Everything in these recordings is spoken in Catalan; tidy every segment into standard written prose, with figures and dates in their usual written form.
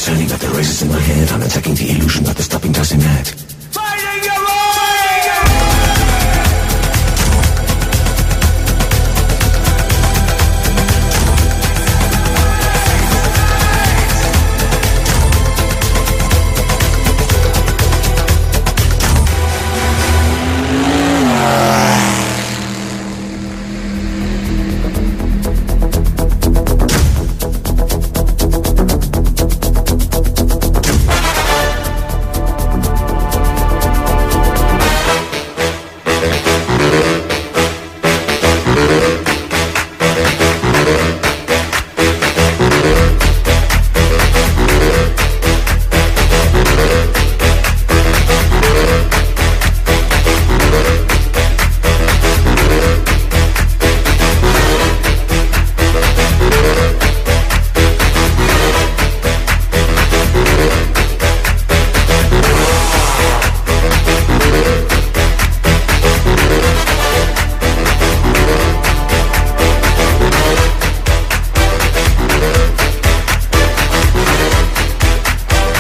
turning at the razors in my head. I'm attacking the illusion that the stopping doesn't net. Fighting your way!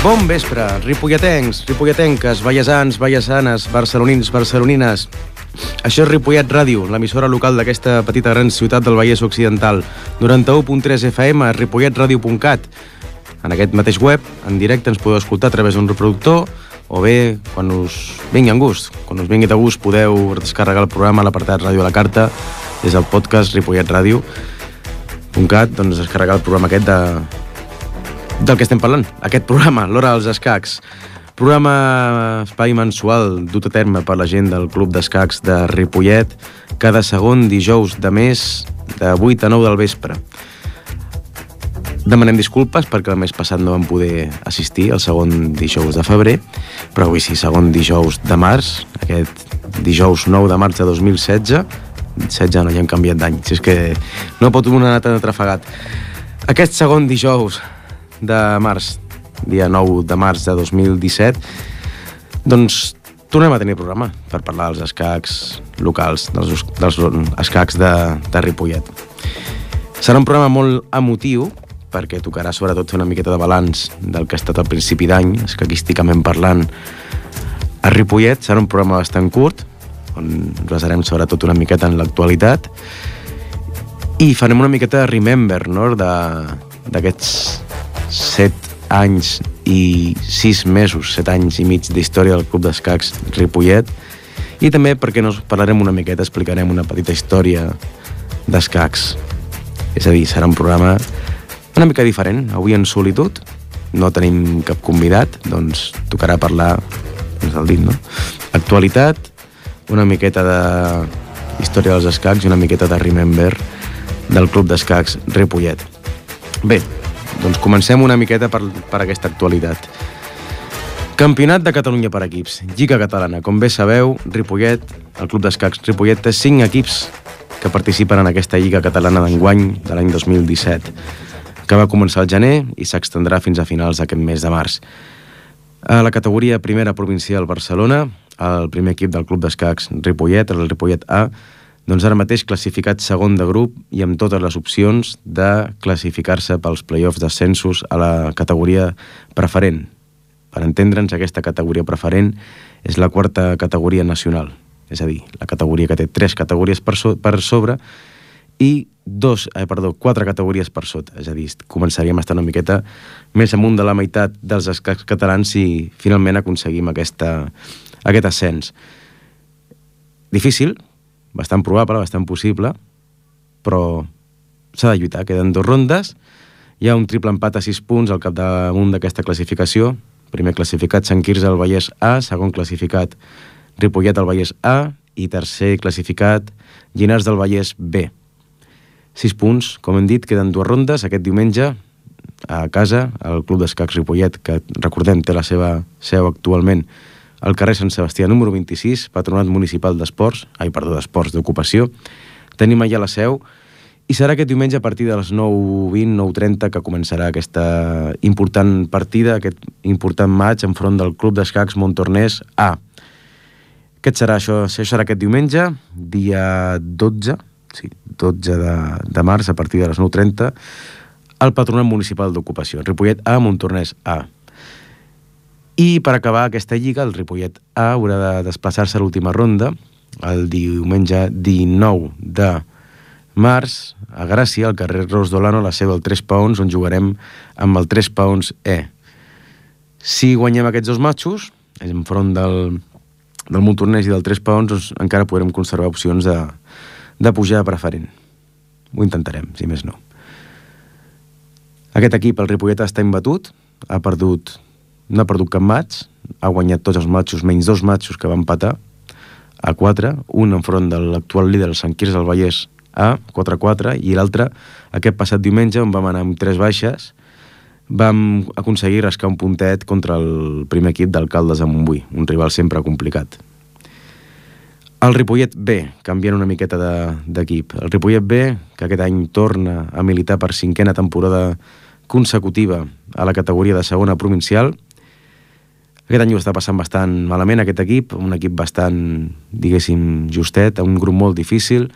Bon vespre, ripolletencs, ripolletenques, vallesans, vallesanes, barcelonins, barcelonines. Això és Ripollet Ràdio, l'emissora local d'aquesta petita gran ciutat del Vallès Occidental. 91.3 FM, ripolletradio.cat. En aquest mateix web, en directe, ens podeu escoltar a través d'un reproductor o bé, quan us vingui en gust. Quan us vingui de gust, podeu descarregar el programa a l'apartat Ràdio a la Carta des del podcast ripolletradio.cat, doncs descarregar el programa aquest del que estem parlant, aquest programa, l'Hora dels Escacs. Programa espai mensual dut a terme per la gent del Club d'Escacs de Ripollet cada segon dijous de mes de 8 a 9 del vespre. Demanem disculpes perquè el mes passat no vam poder assistir al segon dijous de febrer, però avui sí, segon dijous de març, aquest dijous 9 de març de 2016, 16 no, ja hem canviat d'any, si és que no pot una anar tan atrafegat. Aquest segon dijous de març, dia 9 de març de 2017, doncs tornem a tenir programa per parlar dels escacs locals, dels escacs de Ripollet. Serà un programa molt emotiu, perquè tocarà sobretot fer una miqueta de balanç del que ha estat al principi d'any, escaquísticament parlant, a Ripollet. Serà un programa bastant curt, on ens basarem sobretot una miqueta en l'actualitat, i farem una miqueta de remember, no?, d'aquests 7 anys i 6 mesos, 7 anys i mig d'història del Club d'Escacs Ripollet, i també perquè no parlarem una miqueta, explicarem una petita història d'escacs. És a dir, serà un programa una mica diferent, avui en solitud, no tenim cap convidat, doncs tocarà parlar, doncs el dit, no? Actualitat, una miqueta de història dels escacs i una miqueta de remember del Club d'Escacs Ripollet. Bé, doncs comencem una miqueta per aquesta actualitat. Campionat de Catalunya per equips, Lliga Catalana. Com bé sabeu, Ripollet, el Club d'Escacs Ripollet, té 5 equips que participen en aquesta Lliga Catalana d'enguany de l'any 2017, que va començar al gener i s'extendrà fins a finals d'aquest mes de març. A la categoria primera provincial Barcelona, el primer equip del Club d'Escacs Ripollet, el Ripollet A, doncs ara mateix classificat segon de grup i amb totes les opcions de classificar-se pels play-offs d'ascensos a la categoria preferent. Per entendre'ns, aquesta categoria preferent és la quarta categoria nacional, és a dir, la categoria que té 3 categories per sobre i 4 categories per sota, és a dir, començaríem a estar una miqueta més amunt de la meitat dels escacs catalans si finalment aconseguim aquest ascens. Difícil, bastant probable, bastant possible, però s'ha de lluitar. Queden 2 rondes, hi ha un triple empat a 6 punts al capdamunt d'aquesta classificació. Primer classificat Sant Quirze al Vallès A, segon classificat Ripollet al Vallès A i tercer classificat Llinars del Vallès B. 6 punts, com hem dit, queden 2 rondes. Aquest diumenge a casa, al Club d'Escacs Ripollet, que recordem té la seva seu actualment al carrer Sant Sebastià número 26, Patronat Municipal d'Esports, d'Esports d'Ocupació. Tenim allà la seu i serà aquest diumenge a partir de les 9:20, 9:30 que començarà aquesta important partida, aquest important maig enfront del Club d'Escacs Montornès A. Això serà aquest diumenge, dia 12 de març, a partir de les 9:30, el Patronat Municipal d'Ocupació. Ripollet A, Montornès A. I per acabar aquesta lliga, el Ripollet A haurà de desplaçar-se a l'última ronda el diumenge 19 de març a Gràcia, al carrer Ros d'Olano, a la seu del 3 paons, on jugarem amb el 3 paons E. Si guanyem aquests dos matxos, enfront del Montornès i del 3 paons, doncs encara podrem conservar opcions de pujar a preferent. Ho intentarem, si més no. Aquest equip, el Ripollet, està imbatut, no ha perdut cap matx, ha guanyat tots els matxos, menys 2 matxos que va empatar, a 4, un enfront de l'actual líder, el Sant Quirze del Vallès, a 4-4, i l'altre, aquest passat diumenge, on vam anar amb 3 baixes, vam aconseguir rascar un puntet contra el primer equip d'Alcaldes de Montbui, un rival sempre complicat. El Ripollet B, canviant una miqueta d'equip. El Ripollet B, que aquest any torna a militar per 5a temporada consecutiva a la categoria de segona provincial. Aquest any ho està passant bastant malament, aquest equip, un equip bastant, diguéssim, justet, un grup molt difícil,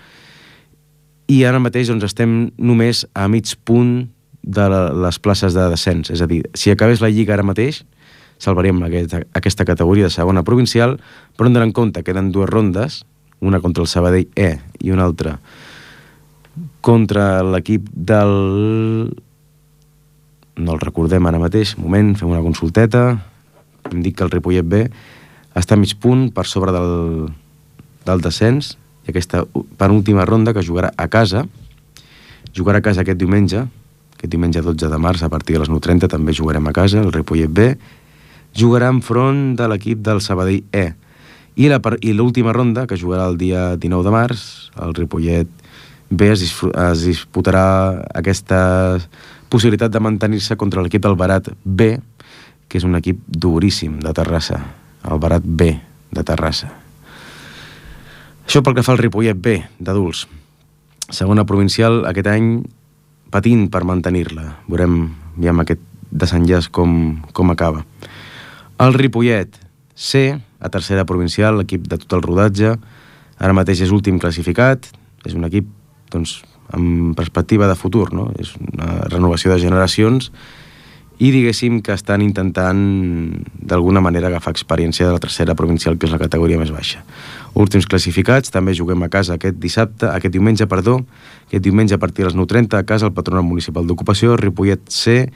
i ara mateix doncs, estem només a mig punt de les places de descens. És a dir, si acabés la Lliga ara mateix, salvaríem aquesta categoria de segona provincial, però hem d'anar en compte, queden 2 rondes, una contra el Sabadell E i una altra contra l'equip del... No el recordem ara mateix, un moment, fem una consulteta. Em dic que el Ripollet B està a mig punt per sobre del descens, i aquesta penúltima ronda que jugarà a casa aquest diumenge 12 de març, a partir de les 9:30 també jugarem a casa, el Ripollet B jugarà enfront de l'equip del Sabadell E, i l'última ronda, que jugarà el dia 19 de març, el Ripollet B es disputarà aquesta possibilitat de mantenir-se contra l'equip del Barat B, que és un equip duríssim de Terrassa, el Barat B de Terrassa. Això pel que fa al Ripollet B d'adults. Segona provincial, aquest any patint per mantenir-la. Veurem aquest desenllaç com acaba. El Ripollet C, a tercera provincial, l'equip de tot el rodatge, ara mateix és últim classificat, és un equip doncs, amb perspectiva de futur, no? És una renovació de generacions, i diguéssim que estan intentant d'alguna manera agafar experiència de la tercera provincial, que és la categoria més baixa. Últims classificats, també juguem a casa aquest diumenge a partir de les 9:30 a casa, el Patronat Municipal d'Ocupació. Ripollet C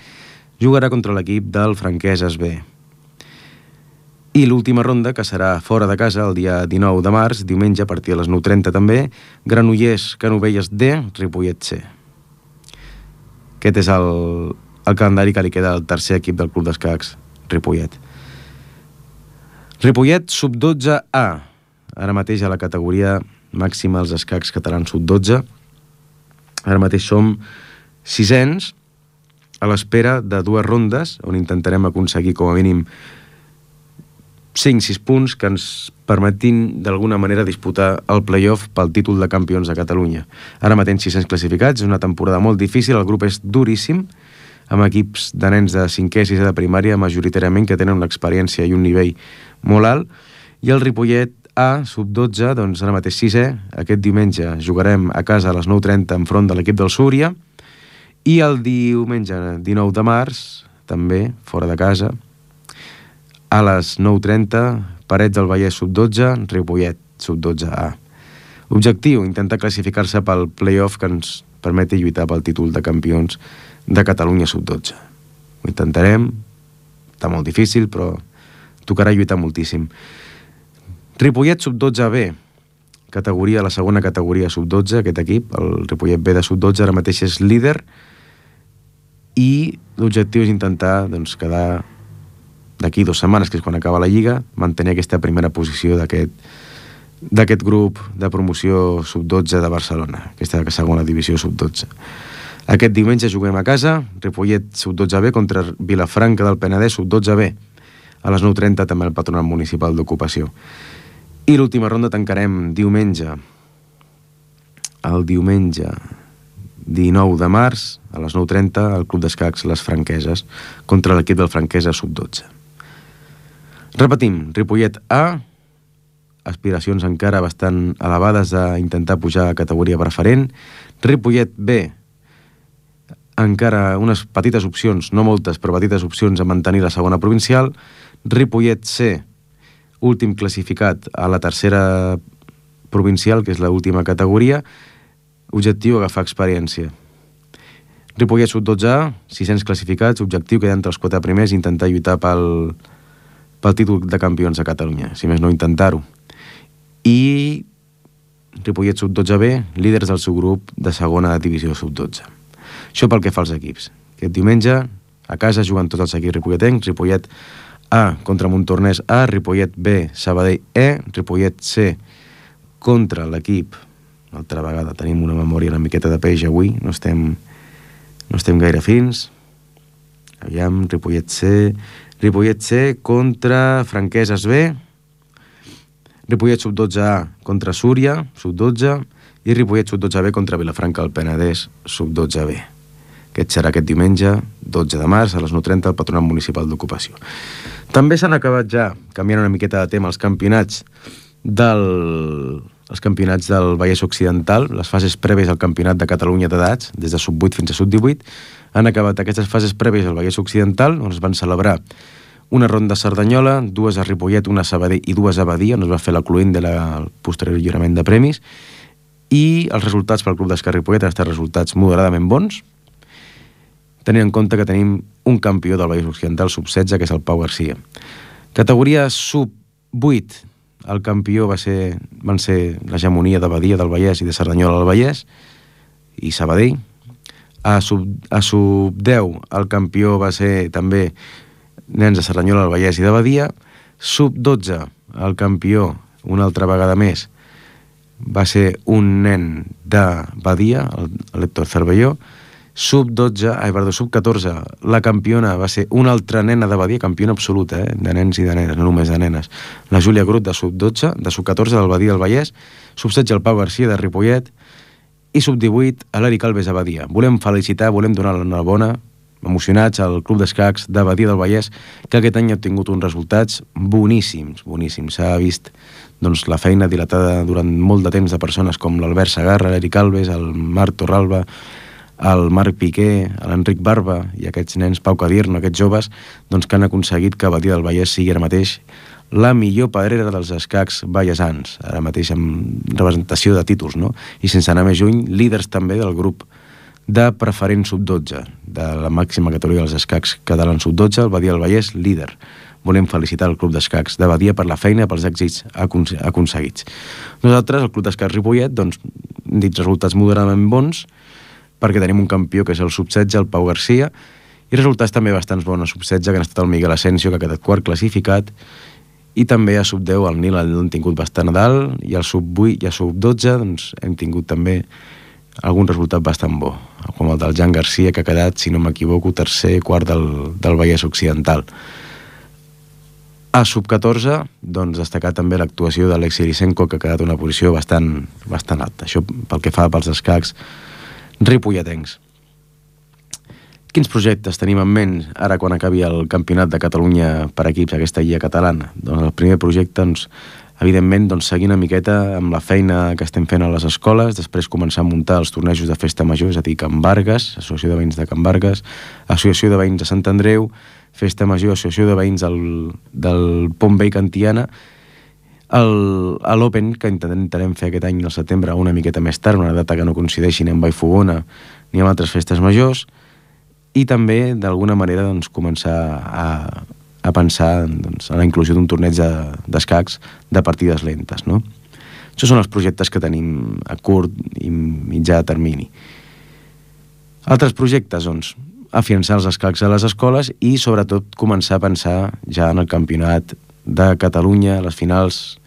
jugarà contra l'equip del Franqueses B. I l'última ronda, que serà fora de casa el dia 19 de març, diumenge a partir de les 9:30 també, Granollers Canovelles D, Ripollet C. Aquest és el calendari que li queda al tercer equip del Club d'Escacs Ripollet. Ripollet sub-12 A, ara mateix a la categoria màxima dels escacs catalans sub-12. Ara mateix som 6ens a l'espera de 2 rondes, on intentarem aconseguir com a mínim 5-6 punts que ens permetin d'alguna manera disputar el play-off pel títol de campions de Catalunya. Ara mateix 600 classificats, és una temporada molt difícil, el grup és duríssim, amb equips de nens de 5è i 6è de primària, majoritàriament, que tenen una experiència i un nivell molt alt, i el Ripollet A, sub-12, doncs ara mateix 6è, aquest diumenge jugarem a casa a les 9:30 enfront de l'equip del Súria, i el diumenge 19 de març, també, fora de casa, a les 9:30, Parets del Vallès sub-12, Ripollet sub-12A. Objectiu, intentar classificar-se pel play-off que ens permeti lluitar pel títol de campions de Catalunya sub-12. Ho intentarem, està molt difícil, però tocarà lluitar moltíssim. Ripollet sub-12B, la segona categoria sub-12, aquest equip, el Ripollet B de sub-12, ara mateix és líder, i l'objectiu és intentar quedar d'aquí 2 setmanes, que és quan acaba la Lliga, mantenir aquesta primera posició d'aquest grup de promoció sub-12 de Barcelona, aquesta segona divisió sub-12. Aquest diumenge juguem a casa, Ripollet sub-12B contra Vilafranca del Penedès sub-12B, a les 9:30 també el Patronat Municipal d'Ocupació. I l'última ronda tancarem el diumenge 19 de març, a les 9:30, al Club d'Escacs Les Franqueses, contra l'equip del Franquesa sub-12. Repetim, Ripollet A, aspiracions encara bastant elevades d'intentar pujar a categoria preferent. Ripollet B, encara unes petites opcions, no moltes, però petites opcions a mantenir la segona provincial. Ripollet C, últim classificat a la tercera provincial, que és l'última categoria. Objectiu, agafar experiència. Ripollet Sub-12A, 600 classificats, objectiu quedar entre els 4 primers i intentar lluitar pel títol de campions de Catalunya, si més no intentar-ho. I Ripollet Sub-12B, líders del seu grup de segona divisió Sub-12. Això pel que fa als equips. Aquest diumenge, a casa, juguen tots els equips ripolletencs. Ripollet A contra Montornès A, Ripollet B, Sabadell E, Ripollet C contra l'equip. Altra vegada tenim una memòria una miqueta de peix avui, no estem gaire fins. Aviam, Ripollet C contra Franqueses B, Ripollet Sub-12A contra Súria, Sub-12, i Ripollet Sub-12B contra Vilafranca del Penedès, Sub-12B. Aquest serà aquest diumenge, 12 de març, a les 9:30, al Patronat Municipal d'Ocupació. També s'han acabat ja, canviant una miqueta de tema, els campionats del Vallès Occidental, les fases prèvies al Campionat de Catalunya d'edats, des de Sub-8 fins a Sub-18. Han acabat aquestes fases prèvies al Vallès Occidental, on es van celebrar una ronda a Cerdanyola, 2 a Ripollet, una a Sabadell i 2 a Badia, on es va fer la cluent del posterior lliurament de premis, i els resultats pel Club d'Esquerra Ripollet han estat resultats moderadament bons, tenint en compte que tenim un campió del Vallès Occidental Sub-16, que és el Pau Garcia. Categoria Sub-8, el campió van ser l'hegemonia de Badia del Vallès i de Cerdanyola del Vallès i Sabadell. A Sub-10 el campió va ser també nens de Cerdanyola del Vallès i de Badia. Sub-12 el campió, una altra vegada més, va ser un nen de Badia, l'Héctor Cervelló. Sub-14, la campiona va ser una altra nena de Badia, campiona absoluta, de nens i de nenes, no només de nenes. La Júlia Grut, de Sub-12, de Sub-14, del Badia del Vallès. Sub-16, el Pau Garcia, de Ripollet. I Sub-18, l'Eric Alves, de Badia. Volem felicitar, volem donar l'enhorabona, emocionats, al Club d'Escacs de Badia del Vallès, que aquest any ha obtingut uns resultats boníssims, boníssims. S'ha vist la feina dilatada durant molt de temps de persones com l'Albert Segarra, l'Eric Alves, el Marc Torralba, el Marc Piqué, l'Enric Barba i aquests nens, Pau Cadierno, aquests joves, que han aconseguit que Badia del Vallès sigui ara mateix la millor pedrera dels escacs vallesans, ara mateix amb representació de títols, no? I sense anar més lluny, líders també del grup de preferent Sub-12, de la màxima categoria dels escacs catalans Sub-12, el Badia del Vallès, líder. Volem felicitar el Club d'Escacs de Badia per la feina, pels èxits aconseguits. Nosaltres, el Club d'Escacs Ripollet, hem dit resultats moderadament bons, perquè tenim un campió que és el Sub-16, el Pau Garcia, i resultats també bastants bons a Sub-16, que han estat el Miguel Asensio, que ha quedat quart classificat, i també a Sub-10 el Nil l'han tingut bastant a dalt, i al Sub-8 i a Sub-12 hem tingut també algun resultat bastant bo, com el del Jan Garcia, que ha quedat, si no m'equivoco, tercer, quart del Vallès Occidental. A Sub-14, destacar també l'actuació d'Alexei Lisenko, que ha quedat una posició bastant alta. Això pel que fa pels escacs ripolletencs. Quins projectes tenim en ment ara quan acabi el Campionat de Catalunya per equips, aquesta lliga catalana? El primer projecte, evidentment, seguir una miqueta amb la feina que estem fent a les escoles, després començar a muntar els tornejos de festa major, és a dir, Can Vargas, Associació de Veïns de Can Vargas, Associació de Veïns de Sant Andreu, Festa Major, Associació de Veïns del Pont Vell Cantiana, l'Open, que intentarem fer aquest any al setembre una miqueta més tard, una data que no coincideixi ni amb Vallfogona ni amb altres festes majors, i també d'alguna manera començar a pensar en la inclusió d'un torneig d'escacs de partides lentes, no? Això són els projectes que tenim a curt i mitjà termini. Altres projectes, afiançar els escacs a les escoles i sobretot començar a pensar ja en el Campionat de Catalunya, les finals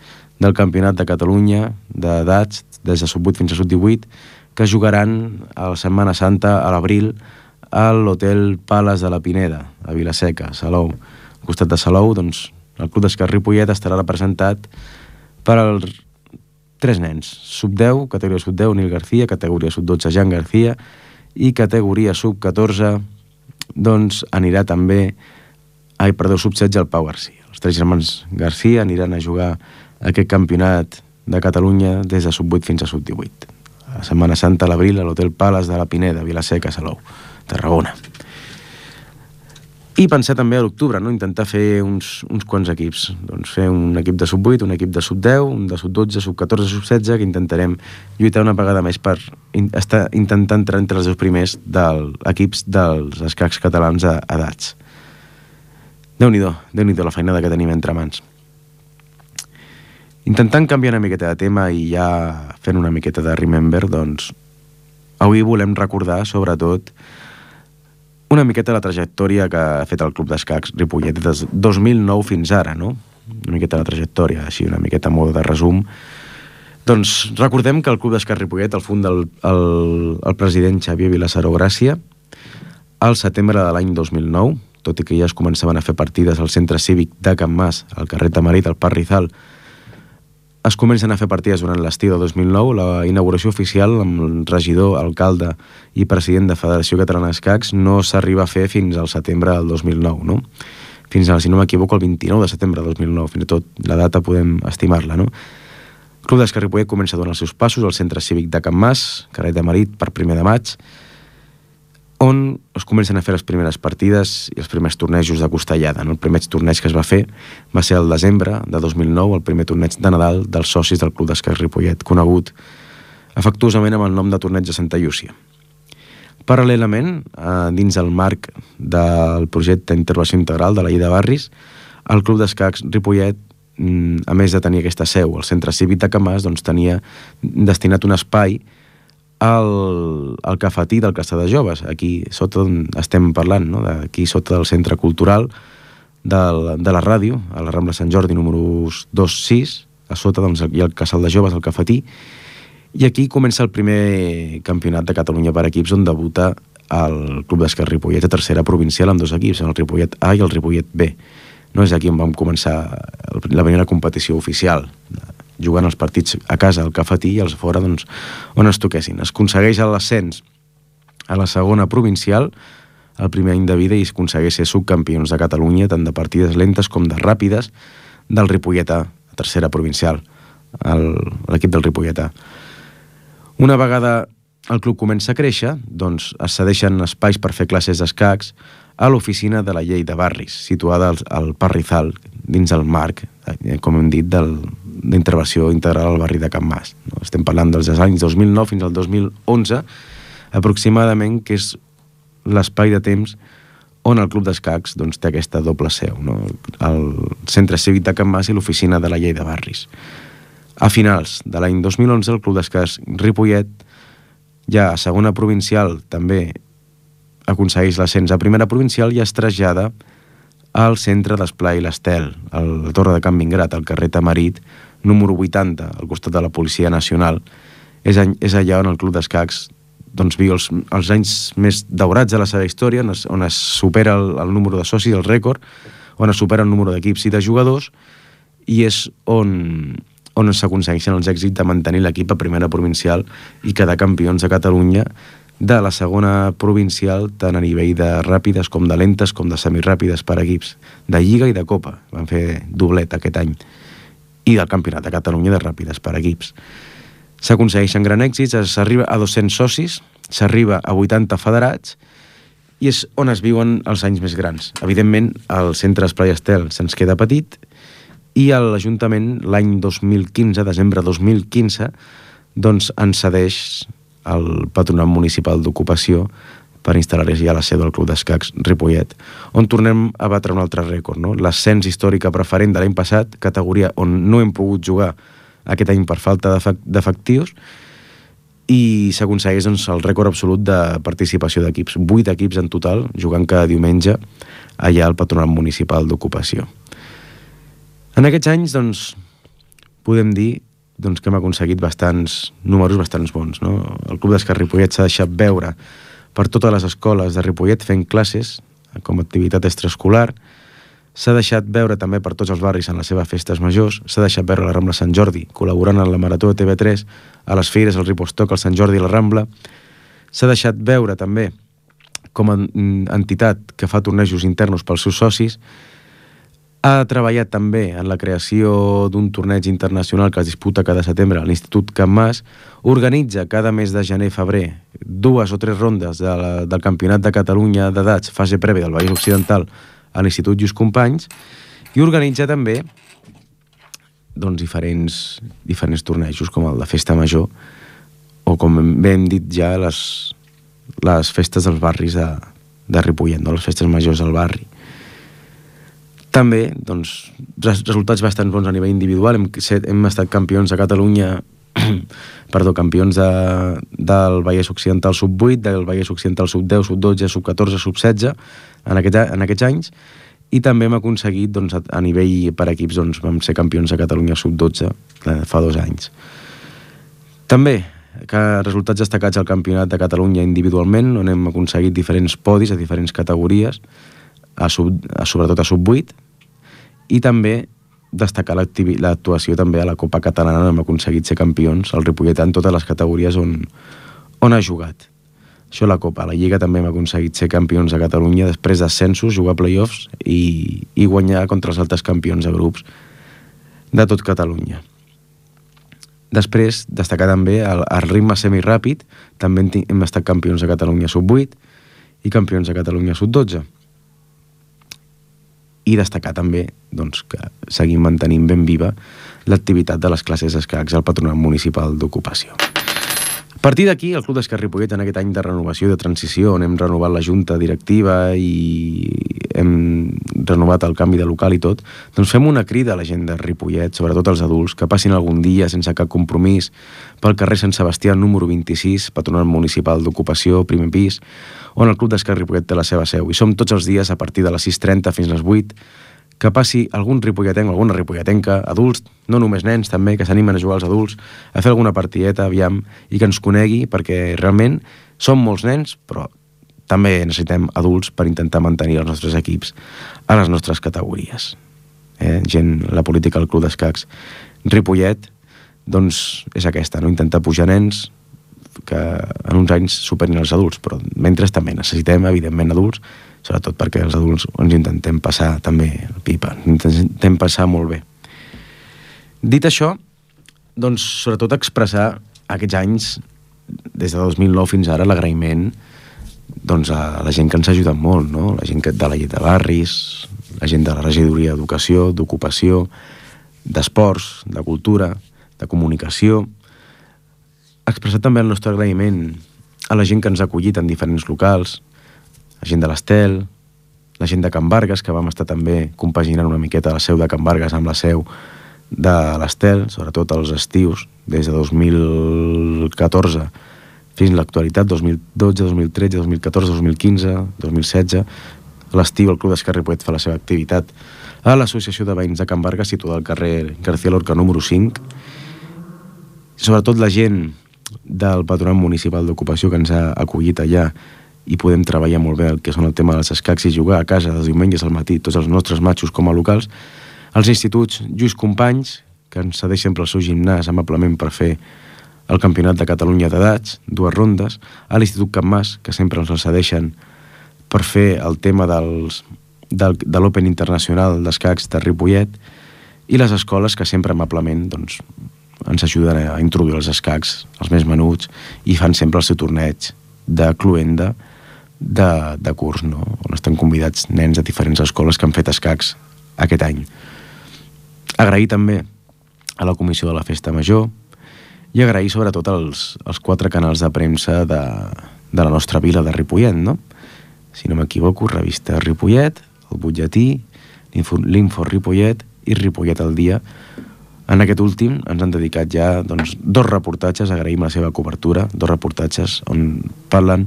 del Campionat de Catalunya d'edats, des de Sub-8 fins a Sub-18, que jugaran a la Setmana Santa, a l'abril, a l'Hotel Palace de la Pineda, a Vila-seca, a Salou. Al costat de Salou, el Club d'Escacs Ripollet estarà representat per als 3 nens. Sub-10, categoria Sub-10, Nil García, categoria Sub-12, Jan García, i categoria Sub-14, anirà també Sub-16, el Pau Garcia. Els 3 germans García aniran a jugar aquest campionat de Catalunya des de Sub-8 fins a Sub-18. A Setmana Santa, a l'abril, a l'Hotel Palace de la Pineda, Vila-seca, Salou. Tarragona. I pensar també a l'octubre, no? Intentar fer uns quants equips. Doncs fer un equip de sub-8, un equip de sub-10, un de sub-12, sub-14, sub-16, que intentarem lluitar una vegada més per intentar entrar entre els 2 primers equips dels escacs catalans a edats. Déu-n'hi-do la feinada que tenim entre mans. Intentant canviar una miqueta de tema i ja fent una miqueta de remember, doncs avui volem recordar, sobretot, una miqueta la trajectòria que ha fet el Club d'Escacs Ripollet des de 2009 fins ara, no? Una miqueta la trajectòria, així una miqueta a moda de resum. Doncs recordem que el Club d'Escacs Ripollet el funda el president Xavier Vilassaró Gràcia al setembre de l'any 2009, tot i que ja es començaven a fer partides al centre cívic de Can Mas, al carrer Tamarit, al Parc Rizal. Es comencen a fer partides durant l'estiu de 2009. La inauguració oficial amb el regidor, alcalde i president de Federació Catalana d'Escacs no s'arriba a fer fins al setembre del 2009, no? Fins, si no m'equivoco, el 29 de setembre del 2009. Fins i tot la data podem estimar-la, no? El Club d'Escacs Ripollet comença a donar els seus passos al centre cívic de Can Mas, carrer de Marit, per 1 de maig, on es comencen a fer les primeres partides i els primers tornejos de costellada, no? El primer torneig que es va fer va ser el desembre de 2009, el primer torneig de Nadal dels socis del Club d'Escacs Ripollet, conegut afectuosament amb el nom de Torneig de Santa Llúcia. Paral·lelament, dins el marc del projecte d'intervenció integral de la llei de barris, el Club d'Escacs Ripollet, a més de tenir aquesta seu, el centre cívic de Can Mas, doncs tenia destinat un espai al cafetí del Caçà de Joves, aquí sota on estem parlant, no? Aquí sota del centre cultural de la ràdio, a la Rambla Sant Jordi número 2-6, a sota doncs, hi ha el Casal de Joves, el cafetí, i aquí comença el primer campionat de Catalunya per equips on debuta el Club d'Escacs Ripollet a tercera provincial amb 2 equips, el Ripollet A i el Ripollet B. No és aquí on vam començar la primera competició oficial, jugant els partits a casa al cafetí i els fora doncs, on es toquessin. Es aconsegueix l'ascens a la segona provincial el primer any de vida i es aconsegueix ser subcampions de Catalunya tant de partides lentes com de ràpides del Ripollet A, tercera provincial, l'equip del Ripollet A. Una vegada el club comença a créixer, doncs es cedeixen espais per fer classes d'escacs a l'oficina de la llei de barris, situada al Parc Rizal, dins el marc, com hem dit, d'intervenció integral al barri de Can Mas. Estem parlant dels anys 2009 fins al 2011, aproximadament, que és l'espai de temps on el Club d'Escacs doncs, té aquesta doble seu, no? El Centre Cívic de Can Mas i l'Oficina de la Llei de Barris. A finals de l'any 2011, el Club d'Escacs Ripollet, ja a segona provincial, també aconsegueix l'ascens a primera provincial i es trasllada al centre d'Esplai i l'Estel, a la Torre de Can Vingrat, al carrer Tamarit, número 80, al costat de la Policia Nacional. És allà on el Club d'Escacs doncs, viu els anys més daurats de la seva història, on es supera el número de socis, el rècord, on es supera el número d'equips i de jugadors, i és on s'aconsegueixen els èxits de mantenir l'equip a primera provincial i quedar campions de Catalunya de la segona provincial, tant a nivell de ràpides com de lentes com de semiràpides per equips, de Lliga i de Copa. Van fer doblet aquest any. I del Campionat de Catalunya de ràpides per equips. S'aconsegueixen gran èxits, s'arriba a 200 socis, s'arriba a 80 federats, i és on es viuen els anys més grans. Evidentment, el centre Esplai Estel se'ns queda petit, i l'Ajuntament, l'any 2015, desembre 2015, doncs ens cedeix el Patronat Municipal d'Ocupació per instal·lar-hi a la seu del Club d'Escacs Ripollet, on tornem a batre un altre rècord, no? L'ascens històric preferent de l'any passat, categoria on no hem pogut jugar aquest any per falta d'efectius, i s'aconsegueix doncs, el rècord absolut de participació d'equips, 8 equips en total, jugant cada diumenge allà al Patronat Municipal d'Ocupació. En aquests anys, doncs, podem dir doncs, que hem aconseguit números bastants bons, no? El Club d'Escacs Ripollet s'ha deixat veure per totes les escoles de Ripollet fent classes com a activitat extraescolar, s'ha deixat veure també per tots els barris en les seves festes majors, s'ha deixat veure a la Rambla Sant Jordi, col·laborant en la Marató de TV3, a les Fires, al Ripostoc, al Sant Jordi i la Rambla, s'ha deixat veure també com a entitat que fa tornejos internos pels seus socis, Ha treballat també en la creació d'un torneig internacional que es disputa cada setembre a l'Institut Can Mas, organitza cada mes de gener-febrer 2 o 3 rondes del Campionat de Catalunya d'edats, fase prèvia del Vallès Occidental a l'Institut Lluís Companys, i organitza també diferents tornejos com el de Festa Major o, com bé hem dit ja, les festes dels barris de Ripollet, no? Les festes majors del barri. També, resultats bastant bons a nivell individual. Hem estat campions de Catalunya, campions del Vallès Occidental sub-8, del Vallès Occidental sub-10, sub-12, sub-14, sub-16 en aquests anys, i també hem aconseguit, a nivell per equips, vam ser campions de Catalunya sub-12 fa 2 anys. També, resultats destacats al Campionat de Catalunya individualment, on hem aconseguit diferents podis a diferents categories, sobretot a sub-8, i també destacar l'actuació també a la Copa Catalana, on hem aconseguit ser campions al Ripollet en totes les categories on ha jugat. Això a la Copa. A la Lliga també hem aconseguit ser campions de Catalunya després d'ascensos, jugar play-offs i guanyar contra els altres campions de grups de tot Catalunya. Després, destacar també el ritme semiràpid, també hem estat campions de Catalunya sub-8 i campions de Catalunya sub-12. I destacar també que seguim mantenint ben viva l'activitat de les classes d'escacs al Patronat Municipal d'Ocupació. A partir d'aquí, el Club d'Escacs Ripollet, en aquest any de renovació i de transició, on hem renovat la junta directiva i hem renovat el canvi de local i tot, fem una crida a la gent de Ripollet, sobretot als adults, que passin algun dia sense cap compromís pel carrer Sant Sebastià número 26, Patronat Municipal d'Ocupació, primer pis, on el Club d'Escacs Ripollet té la seva seu. I som tots els dies a partir de les 6:30 fins a les 8, que passi algun ripolletenc o alguna ripolletenca, adults, no només nens també, que s'animen a jugar als adults, a fer alguna partideta, aviam, i que ens conegui, perquè realment som molts nens, però també necessitem adults per intentar mantenir els nostres equips a les nostres categories. La política del Club d'Escacs Ripollet és aquesta, intentar pujar nens que en uns anys superin els adults, però mentre també necessitem, evidentment, adults, sobretot perquè els adults ens intentem passar també el pipa, intentem passar molt bé. Dit això, sobretot expressar aquests anys, des de 2009 fins ara, l'agraïment a la gent que ens ha ajudat molt, no? La gent de la llet de barris, la gent de la regidoria d'educació, d'ocupació, d'esports, de cultura, de comunicació. Expressar també el nostre agraïment a la gent que ens ha acollit en diferents locals, la gent de l'Estel, la gent de Can Vargas, que vam estar també compaginant una miqueta la seu de Can Vargas amb la seu de l'Estel, sobretot als estius, des de 2014 fins a l'actualitat, 2012, 2013, 2014, 2015, 2016. A l'estiu el Club d'Escacs Ripollet fa la seva activitat a l'Associació de Veïns de Can Vargas, situada al carrer García Lorca número 5. Sobretot la gent del Patronat Municipal d'Ocupació que ens ha acollit allà i podem treballar molt bé el que són el tema dels escacs i jugar a casa dels diumenges al matí, tots els nostres matxos com a locals, els instituts Lluís Companys, que ens cedeix sempre el seu gimnàs amablement per fer el Campionat de Catalunya d'edats, 2 rondes, a l'Institut Can Mas, que sempre ens el cedeixen per fer el tema de l'Open Internacional d'Escacs de Ripollet, i les escoles que sempre amablement ens ajuden a introduir els escacs, els més menuts, i fan sempre el seu torneig de cluenda de curs, no? On estan convidats nens de diferents escoles que han fet escacs aquest any. Agrair també a la comissió de la Festa Major i agrair sobretot als 4 canals de premsa de la nostra vila de Ripollet, no? Si no m'equivoco, Revista Ripollet, El Butlletí, l'Info Ripollet i Ripollet al Dia. En aquest últim ens han dedicat ja 2 reportatges, agraïm la seva cobertura, 2 reportatges on parlen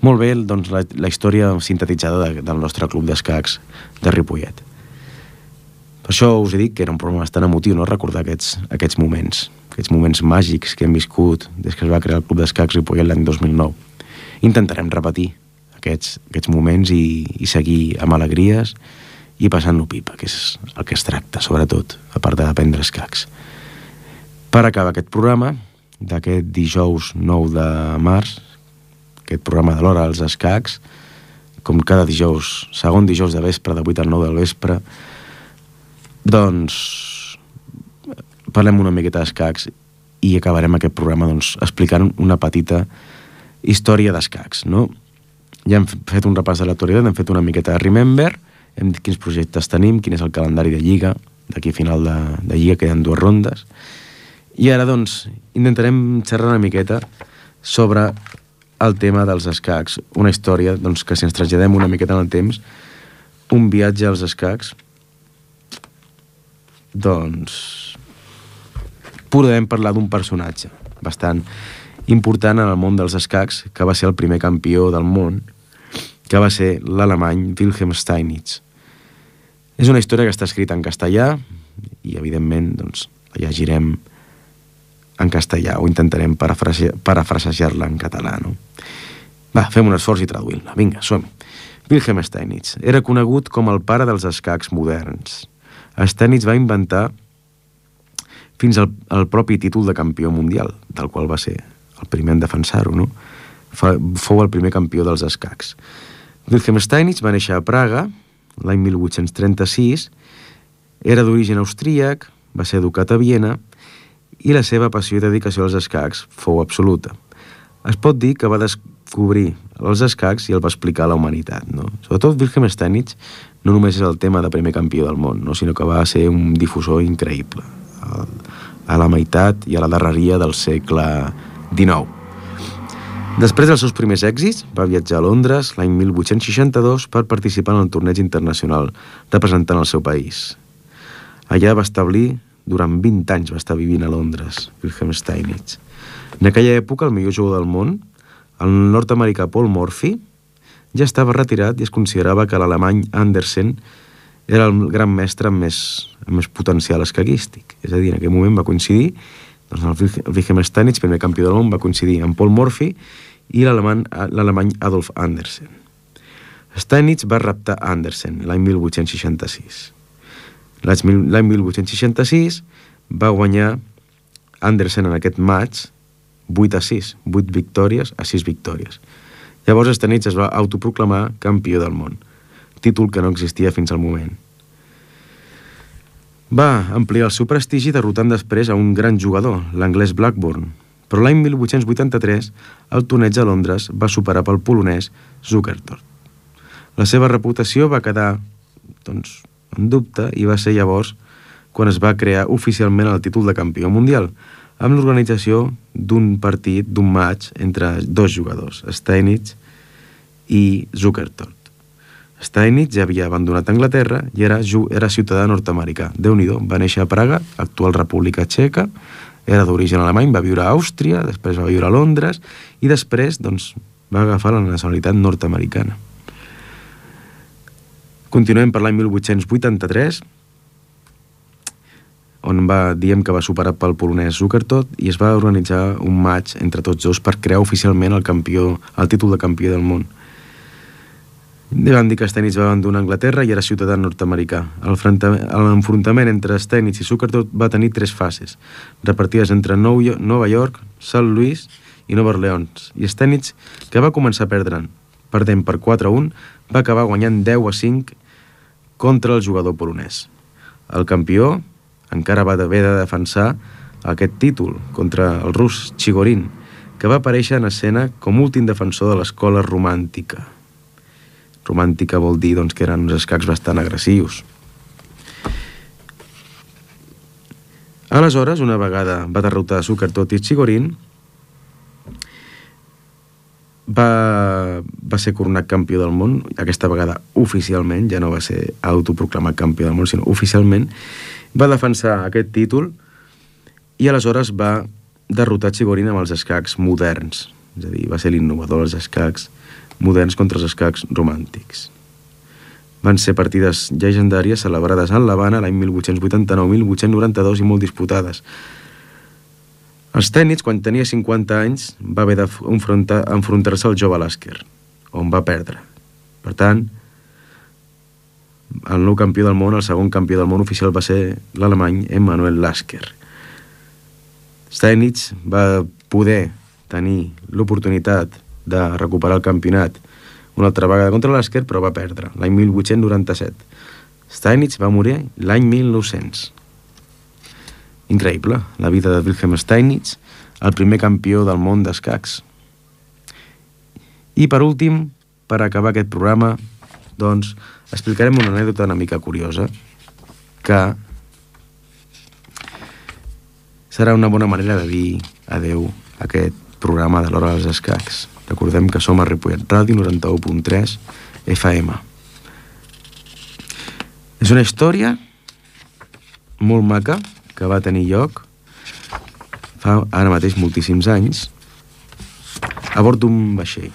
molt bé la història sintetitzada del nostre club d'escacs de Ripollet. Per això us he dit que era un programa bastant emotiu, no? Recordar aquests moments màgics que hem viscut des que es va crear el Club d'Escacs Ripollet l'any 2009. Intentarem repetir aquests moments i seguir amb alegries i passant-lo pipa, que és el que es tracta, sobretot, a part d'aprendre escacs. Per acabar aquest programa, d'aquest dijous 9 de març, aquest programa de l'hora als escacs, com cada dijous, segon dijous de vespre, de 8 a 9 del vespre, doncs parlem una miqueta d'escacs i acabarem aquest programa doncs, explicant una petita història d'escacs, no? Ja hem fet un repàs de l'actualitat, hem fet una miqueta de Remember, hem dit quins projectes tenim, quin és el calendari de Lliga, d'aquí a final de Lliga, que hi ha 2 rondes, i ara doncs intentarem xerrar una miqueta sobre el tema dels escacs, una història doncs, que si ens traslladem una miqueta en el temps, un viatge als escacs, doncs podem parlar d'un personatge bastant important en el món dels escacs, que va ser el primer campió del món, que va ser l'alemany Wilhelm Steinitz. És una història que està escrita en castellà i, evidentment, doncs, la llegirem en castellà o intentarem parafrasejar-la en català, no? Va, fem un esforç i traduïm-la. Vinga, som-hi. Wilhelm Steinitz era conegut com el pare dels escacs moderns. Steinitz va inventar fins al propi títol de campió mundial, del qual va ser el primer en defensar-ho, no? Fou el primer campió dels escacs. Wilhelm Steinitz va néixer a Praga l'any 1836, era d'origen austríac, va ser educat a Viena i la seva passió i dedicació als escacs fou absoluta. Es pot dir que va descobrir els escacs i el va explicar a la humanitat, no? Sobretot Wilhelm Steinitz no només és el tema de primer campió del món, no? Sinó que va ser un difusor increïble a la meitat i a la darreria del segle XIX. Després dels seus primers èxits, va viatjar a Londres l'any 1862 per participar en el torneig internacional representant el seu país. Allà va establir, durant 20 anys va estar vivint a Londres, Wilhelm Steinitz. En aquella època, el millor jugador del món, el nord-americà Paul Morphy, ja estava retirat i es considerava que l'alemany Andersen era el gran mestre amb més potencial escaquístic. És a dir, en aquell moment va coincidir, doncs el Wilhelm Steinitz, primer campió del món, va coincidir amb Paul Morphy i l'alemany Adolf Andersen. Steinitz va reptar Andersen l'any 1866. L'any 1866 va guanyar Andersen en aquest match 8-6, 8 victòries a 6 victòries. Llavors Steinitz es va autoproclamar campió del món, títol que no existia fins al moment. Va ampliar el seu prestigi derrotant després a un gran jugador, l'anglès Blackburn, però l'any 1883 el torneig a Londres va superar pel polonès Zukertort. La seva reputació va quedar doncs, en dubte i va ser llavors quan es va crear oficialment el títol de campió mundial, amb l'organització d'un partit, d'un match entre 2 jugadors, Steinitz i Zukertort. Steinitz ja havia abandonat Anglaterra i era ciutadà nord-americà. Déu-n'hi-do, va néixer a Praga, actual República Txeca, era d'origen alemany, va viure a Àustria, després va viure a Londres i després doncs, va agafar la nacionalitat nord-americana. Continuem per l'any 1883, on diem que va superar pel polonès Zukertort i es va organitzar un match entre tots dos per crear oficialment el títol de campió del món. Van dir que Steinitz va abandonar Anglaterra i era ciutadà nord-americà. L'enfrontament entre Steinitz i Zukertort va tenir 3 fases, repartides entre Nova York, St. Louis i Nova Orleans. I Steinitz, que va començar perdent per 4-1, va acabar guanyant 10-5 contra el jugador polonès. El campió encara va haver de defensar aquest títol contra el rus Chigorin, que va aparèixer en escena com últim defensor de l'escola romàntica. Romàntica vol dir doncs, que eren uns escacs bastant agressius. Aleshores, una vegada va derrotar Zukertort i Chigorin, va ser coronat campió del món, aquesta vegada oficialment, ja no va ser autoproclamat campió del món, sinó oficialment, va defensar aquest títol i aleshores va derrotar Chigorin amb els escacs moderns, és a dir, va ser l'innovador dels escacs moderns contra els escacs romàntics. Van ser partides llegendàries celebrades a l'Havana l'any 1889, 1892 i molt disputades. Steinitz, quan tenia 50 anys, va haver d'enfrontar-se al jove Lasker, on va perdre. Per tant, el nou campió del món, el segon campió del món oficial va ser l'alemany Emanuel Lasker. Steinitz va poder tenir l'oportunitat de recuperar el campionat una altra vegada contra l'Asker, però va perdre, l'any 1897. Steinitz va morir l'any 1900. Increïble, la vida de Wilhelm Steinitz, el primer campió del món d'escacs. I per últim, per acabar aquest programa, doncs, explicarem una anècdota una mica curiosa, que serà una bona manera de dir adeu a aquest programa de l'Hora dels Escacs. Recordem que som a Ripollet Ràdio 91.3 FM. És una història molt maca que va tenir lloc fa ara mateix moltíssims anys a bord d'un vaixell.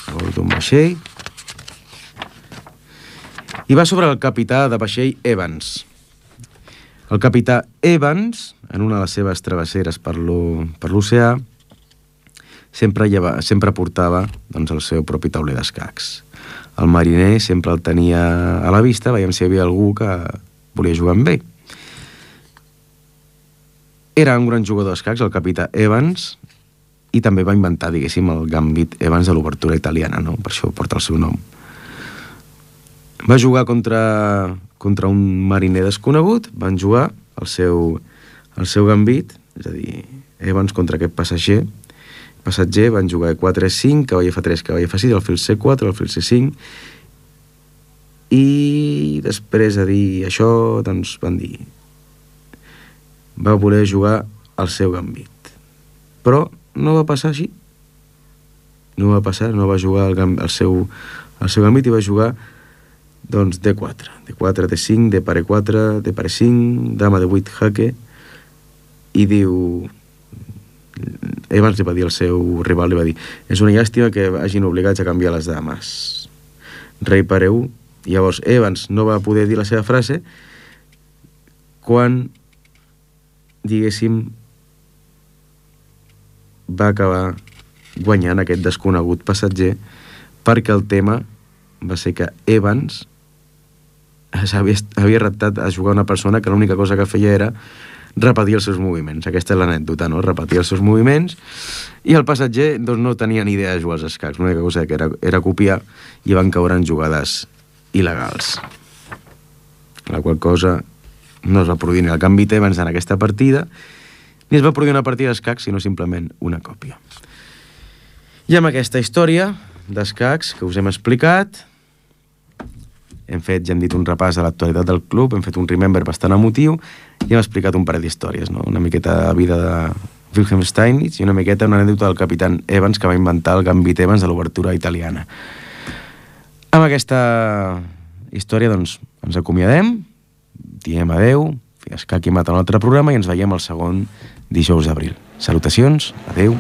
A bord d'un vaixell. I va sobre el capità de vaixell Evans. El capità Evans, en una de les seves travesseres per l'oceà, sempre portava doncs, el seu propi tauler d'escacs. El mariner sempre el tenia a la vista, veiem si hi havia algú que volia jugar amb ell. Era un gran jugador d'escacs, el capità Evans, i també va inventar, diguéssim, el gambit Evans de l'obertura italiana, no? Per això porta el seu nom. Va jugar contra un mariner desconegut, van jugar el seu gambit, és a dir, Evans contra aquest passatger, van jugar 4-5, cavall F3, cavall F6, alfil C4, alfil C5, i després de dir això, doncs van dir, va voler jugar el seu gambit. Però no va passar així. No va passar, no va jugar el seu gambit i va jugar doncs D4, D4, D5, D pare 4, D pare 5, dama de 8, jaque, i diu... Evans li va dir al seu rival, li va dir, és una llàstima que hagin obligats a canviar les dames. Rei pare 1. Llavors Evans no va poder dir la seva frase quan, diguéssim, va acabar guanyant aquest desconegut passatger, perquè el tema va ser que Evans havia reptat a jugar una persona que l'única cosa que feia era repetir els seus moviments. Aquesta és l'anècdota, no? Repetir els seus moviments, i el passatger doncs, no tenia ni idea de jugar als escacs. L'única cosa que era copiar, i van caure en jugades il·legals. La qual cosa no es va produir ni el gambit Evans en aquesta partida, ni es va produir una partida d'escacs, sinó simplement una còpia. I amb aquesta història d'escacs que us hem explicat, ja hem dit un repàs de l'actualitat del club, hem fet un remember bastant emotiu i hem explicat un parell d'històries, no? Una miqueta de vida de Wilhelm Steinitz i una miqueta una anècdota del capitán Evans, que va inventar el gambit Evans de l'obertura italiana. Amb aquesta història doncs ens acomiadem, diem adeu, fins que aquí mata un altre programa, i ens veiem el segon dijous d'abril. Salutacions, adeu.